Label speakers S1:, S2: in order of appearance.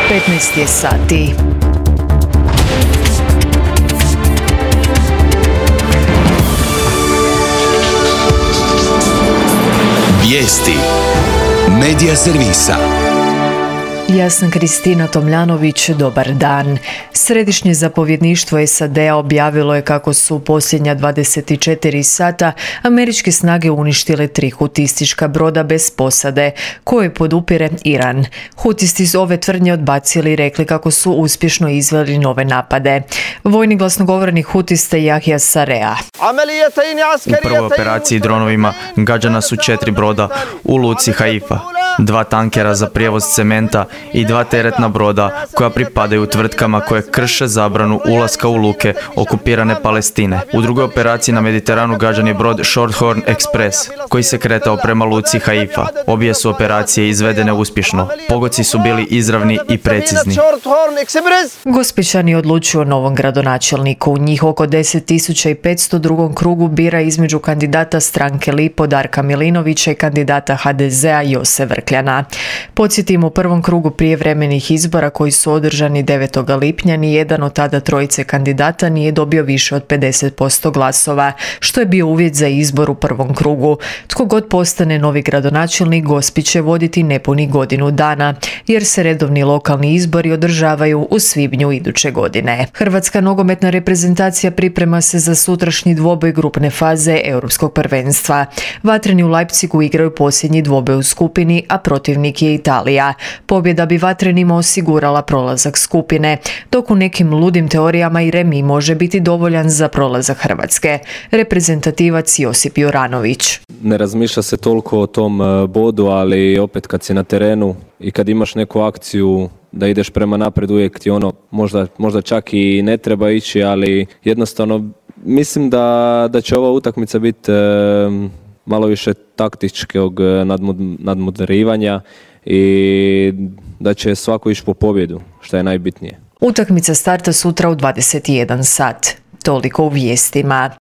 S1: 15 je sati.
S2: Vijesti Medija servisa.
S1: Ja sam Kristina Tomljanović, dobar dan. Središnje zapovjedništvo SAD-a objavilo je kako su u posljednja 24 sata američke snage uništile 3 hutistička broda bez posade, koje podupire Iran. Hutisti su ove tvrdnje odbacili i rekli kako su uspješno izveli nove napade. Vojni glasnogovornik hutista Jahja Sarea.
S3: U prvoj operaciji dronovima gađana su 4 broda u luci Haifa, 2 tankera za prijevoz cementa i 2 teretna broda koja pripadaju tvrtkama koje krše zabranu ulaska u luke okupirane Palestine. U drugoj operaciji na Mediteranu gađan je brod Shorthorn Express koji se kretao prema luci Haifa. Obje su operacije izvedene uspješno. Pogodci su bili izravni i precizni.
S1: Gospićani odlučuju o novom gradonačelniku. Njih oko 10.500 u drugom krugu bira između kandidata stranke Lipo Darka Milinovića i kandidata HDZ-a Jose Vrkljana. Podsjetimo, u prvom krugu prijevremenih izbora koji su održani 9. lipnja ni jedan od tada trojice kandidata nije dobio više od 50% glasova, što je bio uvjet za izbor u prvom krugu. Tko god postane novi gradonačelnik, Gospić će voditi nepunih godinu dana, jer se redovni lokalni izbori održavaju u svibnju iduće godine. Hrvatska nogometna reprezentacija priprema se za sutrašnji dvoboj grupne faze Europskog prvenstva. Vatreni u Leipzigu igraju posljednji dvoboj u skupini, a protivnik je Italija. Pobjeda bi Vatrenima osigurala prolazak skupine, dok u nekim ludim teorijama i remi može biti dovoljan za prolazak Hrvatske. Reprezentativac Josip Juranović.
S4: Ne razmišlja se toliko o tom bodu, ali opet kad si na terenu i kad imaš neku akciju da ideš prema napred, uvijek ti možda čak i ne treba ići, ali jednostavno mislim da će ova utakmica biti malo više taktičkog nadmudrivanja i da će svako ići po pobjedu, što je najbitnije.
S1: Utakmica starta sutra u 21 sat. Toliko u vijestima.